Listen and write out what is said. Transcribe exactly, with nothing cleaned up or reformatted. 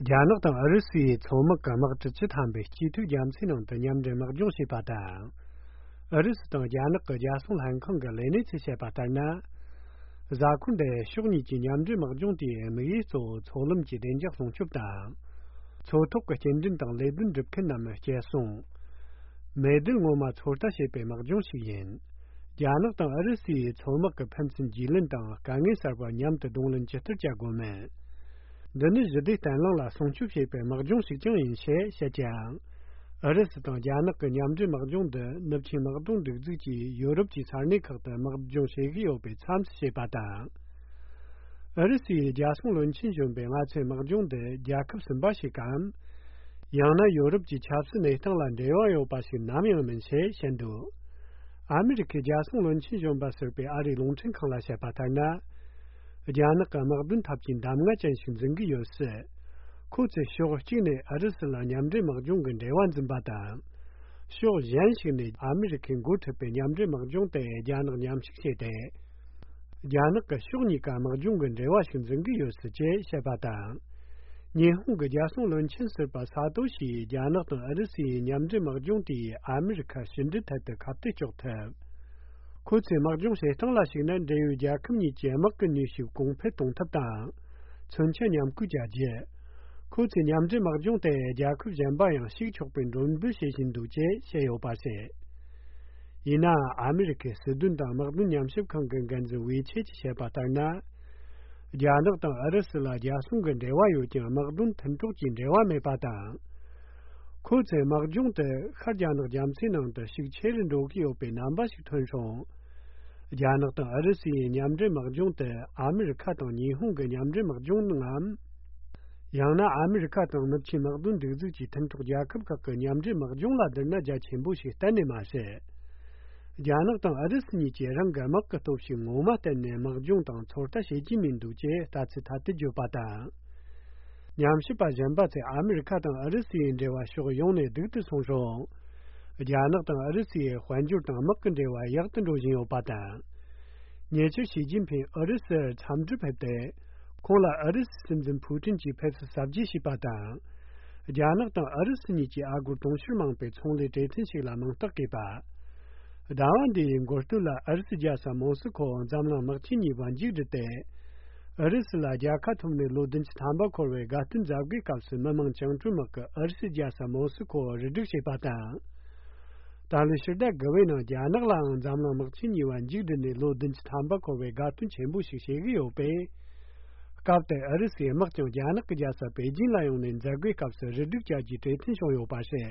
རྒྱ་ནག་དང་ཨུ་རུ་སུའི་མཚོ་དམག་གི་དམག་གྲུ་བཅུ་ཐམ་པས་སྐྱིད་ཐོའི་རྒྱ་མཚོའི་ནང་དུ་མཉམ་འབྲེལ་དམག་སྦྱོང་བྱས་པ་དང་། ཨུ་རུ་སུ་དང་རྒྱ་ནག་གི་རྒྱལ་སྲུང་ལྷན་ཁང་གི་ལས་སྣེ་ཚོས་བཤད་པ་ལྟར་ན། གཟའ་འཁོར་འདིའི་ཕྱོགས་གཉིས་ཀྱི་མཉམ་འབྲེལ་དམག་སྦྱོང་དེའི་དམིགས་ཡུལ་གཙོ་བོ་མཚོ་ལམ་གྱི་བདེ་འཇགས་སྲུང་སྐྱོབ་དང་། མཚོ་ཐོག་གི་སྐྱེལ་འདྲེན་དང་ལས་དོན་སྒྲུབ་མཁན་རྣམས་སྐྱེལ་སྲུང་། མེ་མདེལ་ངོ་མ་ཚོད་ལྟ་བྱེད་པའི་དམག་སྦྱོང་ཞིག་ཡིན། རྒྱ་ནག་དང་ཨུ་རུ་སུའི་མཚོ་དམག་གི་ཕན་ཚུན་རྒྱུས་ལོན་དང་དཀའ་ངལ་གསར་པ་མཉམ་དུ་གདོང་ལེན་ཇི་ལྟར་བྱ་དགོས་མིན། འདི་ནི་ཞི་བདེ་བརྟན་ལྷིང་ལ་སྲུང་སྐྱོབ་བྱེད་པའི་དམག་སྦྱོང་ཞིག་ཀྱང་ཡིན་ཞེས་བཤད་ཀྱང་། ཨུ་རུ་སུ་དང་རྒྱ་ནག་གི་མཉམ་འབྲེལ་དམག་སྦྱོང་འདི་ནུབ་ཆིངས་དམག་དོན་སྒྲིག་འཛུགས་ཀྱིས་ཡོ་རོབ་ཀྱི་ས་གནས་ཁག་ཏུ་དམག་སྦྱོང་བྱེད་ཀྱི་ཡོད་པའི་མཚམས་སུ་བྱས་པ་དང་། ཨུ་རུ་སུའི་རྒྱལ་སྲུང་བློན་ཆེན་གཞོན་པས་ང་ཚོའི་དམག་སྦྱོང་འདི་རྒྱལ་ཁབ་གསུམ་པ་ཞིག་གམ། ཡང་ན་ཡོ་རོབ་ཀྱི་ཆབ་སྲིད་གནས་སྟངས་ལ་འབྲེལ་བ་ཡོད་པ་ཞིག་ནམ་ཡང་མིན་ཞེས་བཤད་འདུག་ཨ་མི་རི་ཁའི་རྒྱལ་སྲུང་བློན་ཆེན་གཞོན་པ་ཟུར་པས་ཨ་རིའི་རླུང་འཕྲིན་ཁང་ལ་བཤད་པ་ལྟར་ན། རྒྱ་ནག་གི་དམག་དོན་འཐབ་ཇུས་གདམ་ག་ཅན་ཞིག་འཛིན་གྱི་ཡོད་སྲིད། ཁོ་ཚོས་ཕྱོགས་གཅིག་ནས་ཨུ་རུ་སུ་ལ་མཉམ་འབྲེལ་དམག་སྦྱོང་གི་འབྲེལ་བ་འཛིན་པ་དང་། ཕྱོགས་གཞན་ཞིག་ནས་ཨ་མི་རི་ཁས་འགོ་ཁྲིད་པའི་མཉམ་འབྲེལ་དམག་སྦྱོང་དེ་རྒྱ་ནག་མཉམ་ཞུགས་བྱས་ཏེ། རྒྱ་ནག་གི་ཕྱོགས་གཉིས་ཀ་དམག་སྦྱོང་གི་འབྲེལ་བ་ཞིག་འཛིན་གྱི་ཡོད་སྲིད་ཅེས་བཤད་པ་དང་། ཉི་ཧོང་གི་རྒྱལ་སྲུང་བློན་ཆེན་ཟུར་པ་ས་ཏོ་ཤིས་རྒྱ་ནག་དང་ཨུ་རུ་སུའི་མཉམ་འབྲེལ་དམག་སྦྱོང་དེས་ཨ་མི་རི་ཁ་ཕྱི་འབྲེལ་ཐད་དུ་ཁ་གཏད་གཅོག་ཐུབ། ཁོ་ཚོའི་དམག་སྦྱོང་བྱེད་སྟངས་ལ་གཞིགས་ན། འབྲེལ་ཡོད་རྒྱལ་ཁབ་གཉིས་ཀྱི་དམག་གི་ནུས་ཤུགས་གོང་འཕེལ་གཏོང་ཐབས་དང་། མཚོན་ཆ་མཉམ་བཀོལ་བྱ་རྒྱུ། ཁོ་ཚོས་མཉམ་འབྲེལ་དམག་སྦྱོང་དེ་རྒྱལ་ཁབ་གཞན་པ་ཡང་ཞུགས་ཆོག་པའི་མགྲོན་འབོད་བྱེད་བཞིན་འདུག་ཅེས་བཤད་ཡོད་པ་རེད། ཡིན་ནའང་། ཨ་མི་རི་ཁའི་སྲིད་དོན་དང་དམག་དོན་ཉམས་ཞིབ་ཁང་གི་འགན་འཛིན་ཝེ་ཆེ་གྱིས་བཤད་པ་ལྟར་ན། རྒྱ་ནག་དང་ཨུ་རུ་སུ་ལ་རྒྱལ་སྲུང་གི་འབྲེལ་བ་ཡོད་ཀྱང་། དམག་དོན་མཐུན་གྲོགས་ཀྱི་འབྲེལ་བ་མེད་པ་དང་། ཁོ་ཚོས་དམག་སྦྱོང་དེ་ཤར་རྒྱ་ནག་རྒྱ་མཚོའི་ནང་དུ་ཤུགས་ཆེ་རུ་འགྲོ་གི་ཡོད་པའི་རྣམ་པ་ཞིག་ཐོན་བྱུང་། རྒྱ་ནག་དང་ཨུ་རུ་སུའི་མཉམ་འབྲེལ་དམག་སྦྱོང་དེ་ཨ་མི་རི་ཁ་དང་ཉི་ཧོང་གི་མཉམ་འབྲེལ་དམག་སྦྱོང་ངམ། ཡང་ན་ཨ་མི་རི་ཁ་དང་ནུབ་ཆིངས་དམག་དོན་སྒྲིག་འཛུགས་ཀྱི་མཐུན་གྲོགས་རྒྱལ་ཁབ་ཁག་གི་མཉམ་འབྲེལ་དམག་སྦྱོང་ལ་བསྡུར་ན་རྒྱ་ཆེན་པོ་ཞིག་གཏན་ནས་མ་རེད། རྒྱ་ནག་དང་ཨུ་རུ་སུ་གཉིས་ཀྱིས་རང་གི་དམག་གི་སྟོབས་ཤུགས་ངོ་མ་བསྟན་ནས་དམག་སྦྱོང་དང་ཚོད་ལྟ་བྱེད་ཀྱི་མི་འདུག་ཅེས་ལྟ་ཚུལ་ཐ་དད་བརྗོད་པ་དང་། ཉམས་ཞིབ་པ་གཞན་པ་ཚོས་ཨ་མི་རི་ཁ་དང་ཨུ་རུ་སུའི་འབྲེལ་བ་ཕྱོགས་ཡོངས་ནས་སྡུག་ཏུ་སོང་རུང་། རྒྱ་ནག་དང་ཨུ་རུ་སུའི་དཔལ་འབྱོར་དང་དམག་གི་འབྲེལ་བ་ཡག་ཏུ་འགྲོ་བཞིན་ཡོད་པ་དང་། ཉེ་ཆར་ཞི་ཅིན་ཕིང་ཨུ་རུ་སུར་འཚམས་འདྲིར་ཕེབས་ཏེ། ཁོང་ལ་ཨུ་རུ་སུའི་སྲིད་འཛིན་ཕུའུ་ཀྲིན་གྱིས་ཕེབས་བསུ་གཟབ་རྒྱས་བྱས་པ་དང་། རྒྱ་ནག་དང་ཨུ་རུ་སུ་གཉིས་ཀྱིས་ཨ་སྒོར་དུང་ཕྱུར་མང་པའི་ཚོང་ལས་གྲོས་མཐུན་ཞིག་ལ་མིང་རྟགས་བཀོད་པ། ཟླ་བ་འདིའི་འགོ་སྟོད་ལ་ཨུ་རུ་སུའི་རྒྱལ་ས་མོ་སི་ཁོ་འཛམ་གླིང་དམག་ཆེན་གཉིས་པ་མཇུག་བསྒྲིལ་ཏེ། ཨུ་རུ་སུ་ལ་རྒྱལ་ཁ་ཐོབ་ནས་ལོ་བདུན་ཅུ་ཐམ་པ་འཁོར་བའི་དགའ་སྟོན་མཛད་སྒོའི་སྐབས་སུ། མི་དམངས་བཅིངས་འགྲོལ་དམག་གིས་ཨུ་རུ་སུའི་རྒྱལ་ས་མོ་སི་ཁོ་རུ་སྒྲིག་བྱས་པ་དང་། ད་ལོའི་ཕྱི་ཟླ་དགུ་པའི་ནང་རྒྱ་ནག་ལའང་འཛམ་གླིང་དམག་ཆེན་གཉིས་པ་མཇུག་བསྒྲིལ་ནས་ལོ་བདུན་ཅུ་ཐམ་པ་འཁོར་བའི་དགའ་སྟོན་ཆེན་པོ་ཞིག་བྱེད་ཀྱི་ཡོད་པས། སྐབས་དེར་ཨུ་རུ་སུའི་དམག་ཀྱང་རྒྱ་ནག་གི་རྒྱལ་ས་པེ་ཅིན་ལ་ཡོང་ནས་མཛད་སྒོའི་སྐབས་སུ་རུ་སྒྲིག་བྱ་རྒྱུའི་གྲོས་མཐུན་བྱུང་ཡོད་པ་རེད།